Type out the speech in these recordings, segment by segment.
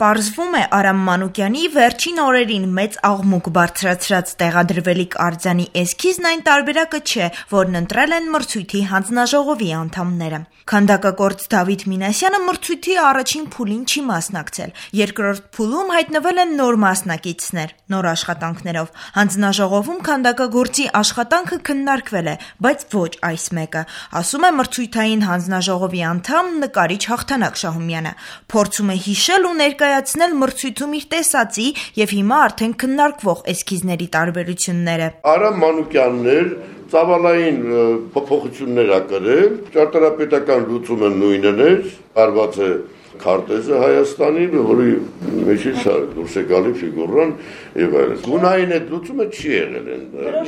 Պարզվում է Արամ Մանուկյանի վերջին օրերին մեծ աղմուկ բարձրացրած տեղադրվելիք արձանի էսքիզն այն տարբերակը չէ, որն ընտրել են մրցույթի հանձնաժողովի անդամները։ Քանդակագործ Դավիթ Մինասյանը մրցույթի առաջին փուլին չի մասնակցել։ Երկրորդ փուլում հայտնվել են նոր մասնակիցներ, նոր աշխատանքներով։ Հանձնաժողովում քանդակագործի աշխատանքը քննարկվել է, բայց ոչ այս մեկը, ասում է մրցույթային հանձնաժողովի անդամ նկարիչ Հաղթանակ Շահումյանը։ Փորձում է հիշել ու ներկայացնել մրցույթում իր տեսածի եւ հիմա արդեն քննարկվող էսքիզների տարբերությունները։ Արամ Մանուկյանն ծավալային փոփոխություններ ա կրել, ճարտարապետական լուծումը նույնն էր, արված է քարտեզը Հայաստանի, որի մեջից դուրս է գալի ֆիգուրան եւ այլն։ Գունային այդ լուծումը չի եղել,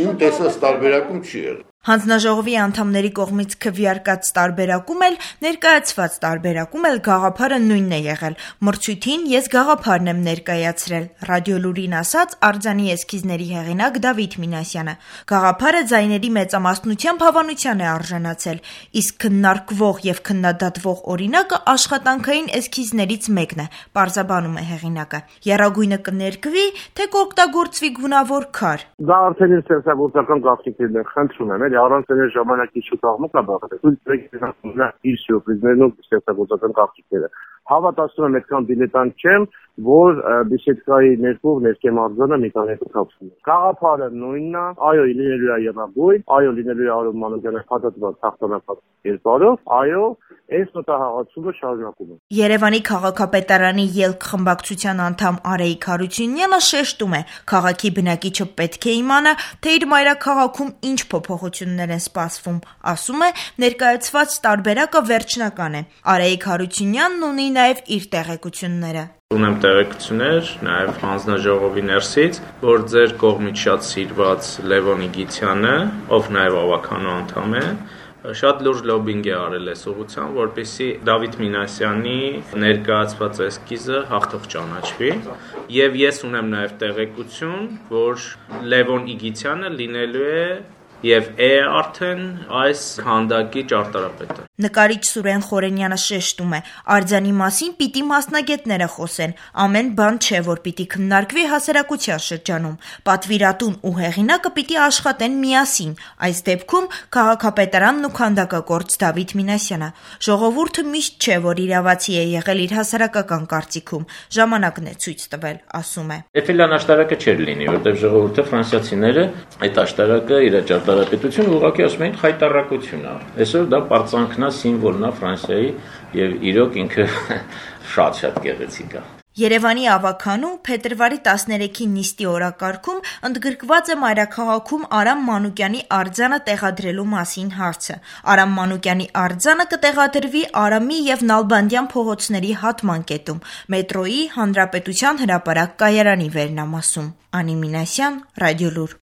իմ տեսած տարբերակում չի եղել։ Հանձնաժողովի անդամների կողմից քվեարկած տարբերակում էլ, ներկայացված տարբերակում էլ գաղափարը նույնն է եղել։ Մրցույթին ես գաղափարն եմ ներկայացրել, Ռադիոլուրին ասաց արձանի էսքիզների հեղինակ Դավիթ Մինասյանը։ Գաղափարը ձայների մեծամասնությամբ հավանության է արժանացել, իսկ քննարկվող եւ քննադատվող օրինակը աշխատանքային էսքիզներից մեկն է, պարզաբանում է հեղինակը։ Եռագույնը կներկվի, թե կօգտագործվի գունավոր քար։ Դա արդեն ստեղծագործական գաղտնիքներն են, խնդրում եմ, առանց այն ժամանակի շուտ աղմուկ է բախել։ Իր սյուրպրիզներն ու ստեղծագործական գաղտնիքները։ Հավատացնում եմ, այդքան դիլետանտ չեմ, որ բիսեդկայի ներքով ներքեմ արձանը մի քանի կապվում է։ Գաղափարը նույնն է, այո, լինելու է եռագույն, այո, լինելու է Արամ Մանուկյանի հատածված հաղթանակած կերպարով, այո, այս մտահղացումը շարունակում է։ Երևանի քաղաքապետարանի ելք խմբակցության անդամ Արայիկ Հարությունյանը շեշտում է, քաղաքի բնակիչը պետք է իմանա, թե իր մայրաքաղաքում ինչ փոփոխություններ են սպասվում, ասում է, ներկայացված տարբերակը վերջնական է։ Արայիկ Հարությունյանն ունի նաև իր տեղեկությունները։ Ունեմ տեղեկություններ նաև հանձնաժողովի ներսից, որ ձեր կողմից շատ սիրված Լևոն Իգիթյանը, ով նաև ավականու անդամ է, շատ լուրջ լոբինգ է արել այս ուղղությամբ, որպեսզի Դավիթ Մինասյանի ներկայացված էսքիզը հաղթող ճանաչվի, եւ ես ունեմ նաև տեղեկություն, որ Լևոն Իգիթյանը լինելու է եւ արդեն այս քանդակի ճարտարապետը։ Նկարիչ Սուրեն Խորենյանը շեշտում է, արձանի մասին պիտի մասնագետները խոսեն, ամեն բան չէ, որ պիտի քննարկվի հասարակության շրջանում։ Պատվիրատուն ու հեղինակը պիտի աշխատեն միասին, այս դեպքում քաղաքապետարանն ու քանդակագործ Դավիթ Մինասյանը։ Ժողովուրդը միշտ չէ, որ իրավացի է եղել իր հասարակական կարծիքում, ժամանակն է ցույց տվել, ասում է։ Էֆելյան աշտարակը չէր լինի, որտեղ ժողովուրդը ֆրանսիացիները այդ աշտարակը իր ճարտարապետություն ուղղակի ասում էին խայտառակություն է։ Այսօր դա պարծանքն է, սիմվոլն է Ֆրանսիայի եւ իրոք ինքը շատ գեղեցիկ է։ Երևանի ավականու փետրվարի 13-ի նիստի օրակարգում ընդգրկված է մայրաքաղաքում Արամ Մանուկյանի արձանը տեղադրելու մասին հարցը։ Արամ Մանուկյանի արձանը կտեղադրվի Արամի եւ Նալբանդյան փողոցների հատման կետում, մետրոյի Հանրապետության հրապարակ կայարանի վերնամասում։ Անի Մինասյան, Ռադիոլուր։